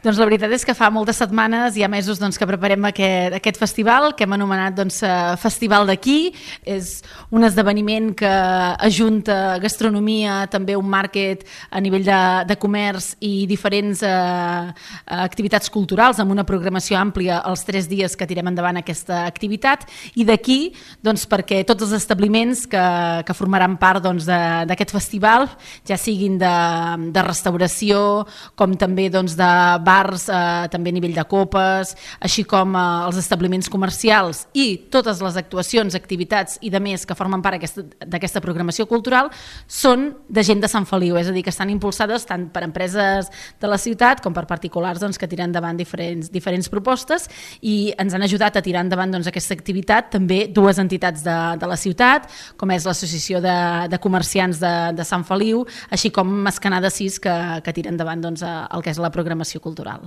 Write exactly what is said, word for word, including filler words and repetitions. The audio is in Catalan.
Doncs la veritat és que fa moltes setmanes, hi ha mesos doncs, que preparem aquest, aquest festival, que hem anomenat doncs, Festival d'aquí. És un esdeveniment que ajunta gastronomia, també un market a nivell de, de comerç i diferents eh, activitats culturals amb una programació àmplia els tres dies que tirem endavant aquesta activitat. I d'aquí, doncs, perquè tots els establiments que, que formaran part doncs, d'aquest festival, ja siguin de, de restauració, com també doncs, de bars, eh, també a nivell de copes, així com eh, els establiments comercials i totes les actuacions, activitats i de més que formen part d'aquesta programació cultural són de gent de Sant Feliu, és a dir, que estan impulsades tant per empreses de la ciutat com per particulars doncs, que tiren endavant diferents, diferents propostes i ens han ajudat a tirar endavant doncs, aquesta activitat també dues entitats de, de la ciutat, com és l'Associació de, de Comerciants de, de Sant Feliu, així com Mascanada sis, que, que tira endavant doncs, el que és la programació cultural.